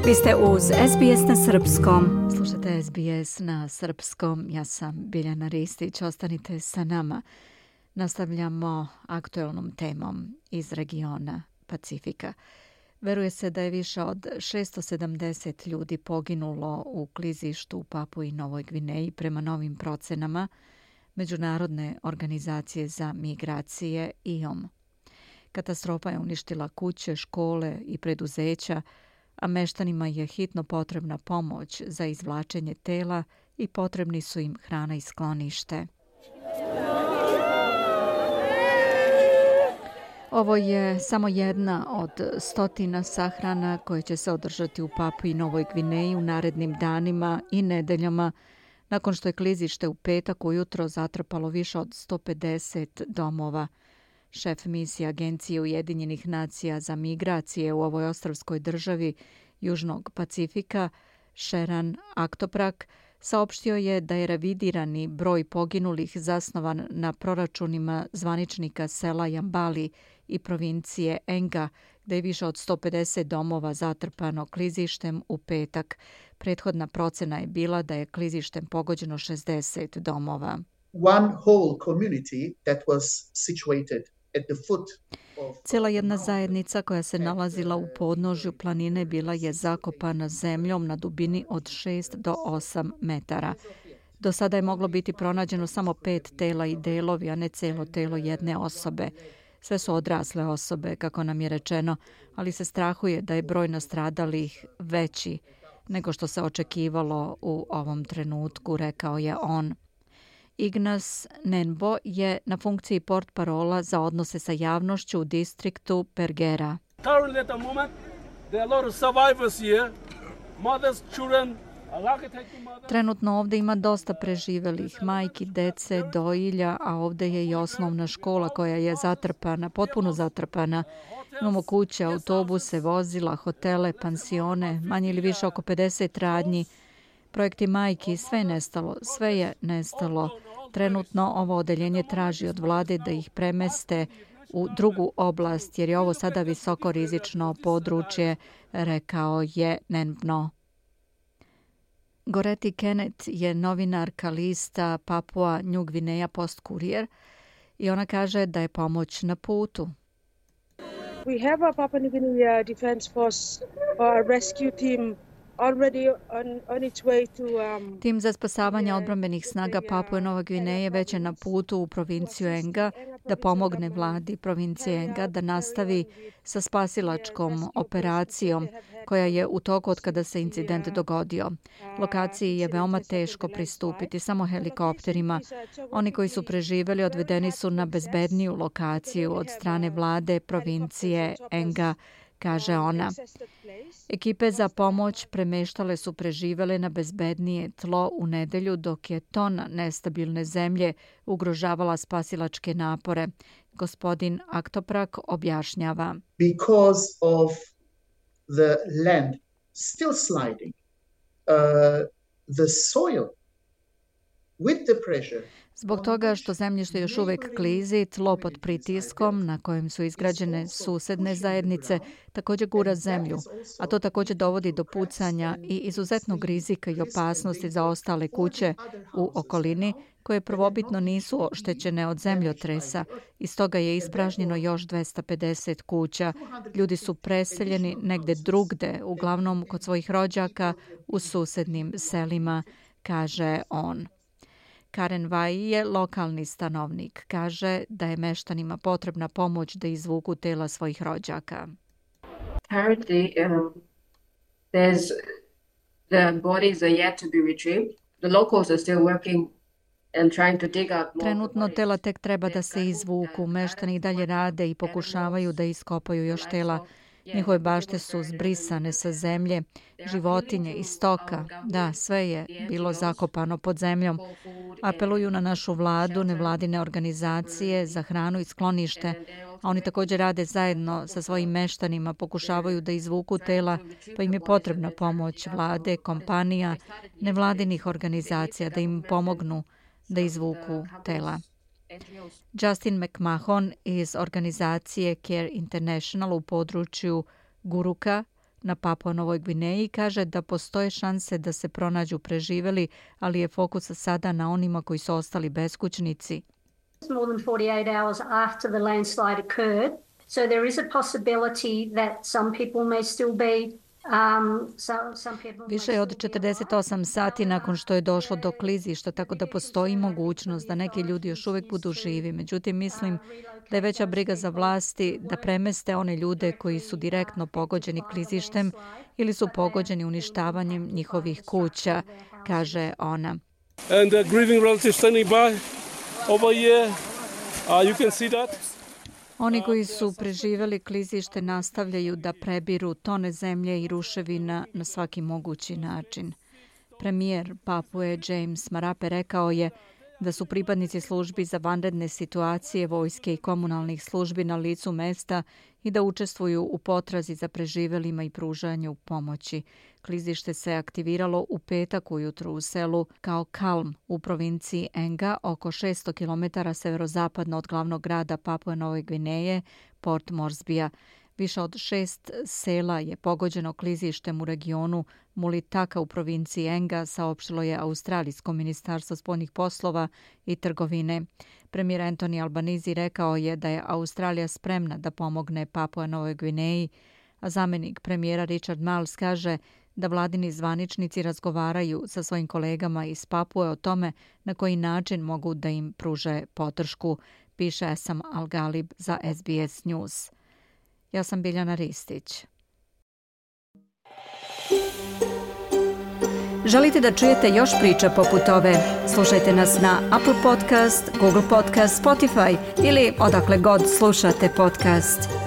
Vi ste uz SBS na srpskom. Slušate SBS na srpskom. Ja sam Biljana Ristić. Ostanite sa nama. Nastavljamo aktuelnom temom iz regiona Pacifika. Veruje se da je više od 670 ljudi poginulo u klizištu u Papui Novoj Gvineji prema novim procenama Međunarodne organizacije za migracije IOM. Katastrofa je uništila kuće, škole i preduzeća, a meštanima je hitno potrebna pomoć za izvlačenje tela i potrebni su im hrana i sklonište. Ovo je samo jedna od stotina sahrana koje će se održati u Papui Novoj Gvineji u narednim danima i nedeljama, nakon što je klizište u petak ujutro zatrpalo više od 150 domova. Šef misije Agencije Ujedinjenih nacija za migracije u ovoj ostrvskoj državi Južnog Pacifika, Sheran Aktoprak, saopštio je da je revidirani broj poginulih zasnovan na proračunima zvaničnika sela Jambali i provincije Enga, gde je više od 150 domova zatrpano klizištem u petak. Prethodna procena je bila da je klizištem pogođeno 60 domova. One whole community that was situated at the foot. Cijela jedna zajednica koja se nalazila u podnožju planine bila je zakopana zemljom na dubini od 6 do 8 metara. Do sada je moglo biti pronađeno samo 5 tela i delovi, a ne celo telo jedne osobe. Sve su odrasle osobe, kako nam je rečeno, ali se strahuje da je broj nastradalih veći nego što se očekivalo u ovom trenutku, rekao je on. Ignas Nenbo je na funkciji portparola za odnose sa javnošću u distriktu Pergera. Trenutno ovdje ima dosta preživelih, majki, dece, dojilja, a ovdje je i osnovna škola koja je zatrpana, potpuno zatrpana. Imamo kuće, autobuse, vozila, hotele, pansione, manje ili više oko 50 radnji. Projekti majki, sve je nestalo, sve je nestalo. Trenutno ovo odeljenje traži od vlade da ih premeste u drugu oblast, jer je ovo sada visoko rizično područje, rekao je Nenbno. Goreti Kenneth je novinarka lista Papua New Guinea Post Courier i ona kaže da je pomoć na putu. We have a Papua New Guinea Defense Force rescue team already on its way to Tim za spasavanje odbrambenih snaga Papue Nova Gvineje već je na putu u provinciju Enga da pomogne vladi provincije Enga da nastavi sa spasilačkom operacijom koja je u toku od kada se incident dogodio. Lokaciji je veoma teško pristupiti samo helikopterima. Oni koji su preživeli odvedeni su na bezbedniju lokaciju od strane vlade provincije Enga, kaže ona. Ekipe za pomoć premeštale su preživele na bezbednije tlo u nedelju dok je tona nestabilne zemlje ugrožavala spasilačke napore. Gospodin Aktoprak objašnjava. Because of the land still sliding, the soil with the pressure. Zbog toga što zemljište još uvijek klizi, tlo pod pritiskom na kojem su izgrađene susedne zajednice također gura zemlju, a to također dovodi do pucanja i izuzetnog rizika i opasnosti za ostale kuće u okolini koje prvobitno nisu oštećene od zemljotresa i stoga je ispražnjeno još 250 kuća. Ljudi su preseljeni negde drugde, uglavnom kod svojih rođaka u susednim selima, kaže on. Karen Vai je lokalni stanovnik. Kaže da je meštanima potrebna pomoć da izvuku tela svojih rođaka. Currently, the bodies are yet to be retrieved. The locals are still working and trying to dig out more. Trenutno tela tek treba da se izvuku. Meštani dalje rade i pokušavaju da iskopaju još tela. Njihove bašte su zbrisane sa zemlje, životinje i stoka. Da, sve je bilo zakopano pod zemljom. Apeluju na našu vladu, nevladine organizacije za hranu i sklonište, a oni također rade zajedno sa svojim meštanima, pokušavaju da izvuku tela, pa im je potrebna pomoć vlade, kompanija, nevladinih organizacija da im pomognu da izvuku tela. Justin McMahon iz organizacije Care International u području Guruka na Papua Novoj Gvineji kaže da postoje šanse da se pronađu preživeli, ali je fokus sada na onima koji su ostali beskućnici. More than 48 hours after the landslide occurred, so there is a possibility that some people may still be Više je od 48 sati nakon što je došlo do klizišta, tako da postoji mogućnost da neki ljudi još uvijek budu živi. Međutim, mislim da je veća briga za vlasti da premeste one ljude koji su direktno pogođeni klizištem ili su pogođeni uništavanjem njihovih kuća, kaže ona. And the grieving relatives standing by over here, you can see that. Oni koji su preživjeli klizište nastavljaju da prebiru tone zemlje i ruševina na svaki mogući način. Premijer Papue James Marape rekao je da su pripadnici službi za vanredne situacije, vojske i komunalnih službi na licu mesta i da učestvuju u potrazi za preživjelima i pružanju pomoći. Klizište se aktiviralo u petak ujutru u selu Kao Kalm u provinciji Enga, oko 600 km severozapadno od glavnog grada Papue Nove Gvineje, Port Moresbya. Više od 6 sela je pogođeno klizištem u regionu Mulitaka u provinciji Enga, saopštilo je Australijsko ministarstvo spoljnih poslova i trgovine. Premijer Anthony Albanese rekao je da je Australija spremna da pomogne Papua Novoj Gvineji, a zamjenik premijera Richard Marles kaže da vladini zvaničnici razgovaraju sa svojim kolegama iz Papue o tome na koji način mogu da im pruže podršku, piše Esam Al-Galib za SBS News. Ja sam Biljana Ristić. Želite da čujete još priča poput ove? Slušajte nas na Apple Podcast, Google Podcast, Spotify ili odakle god slušate podcast.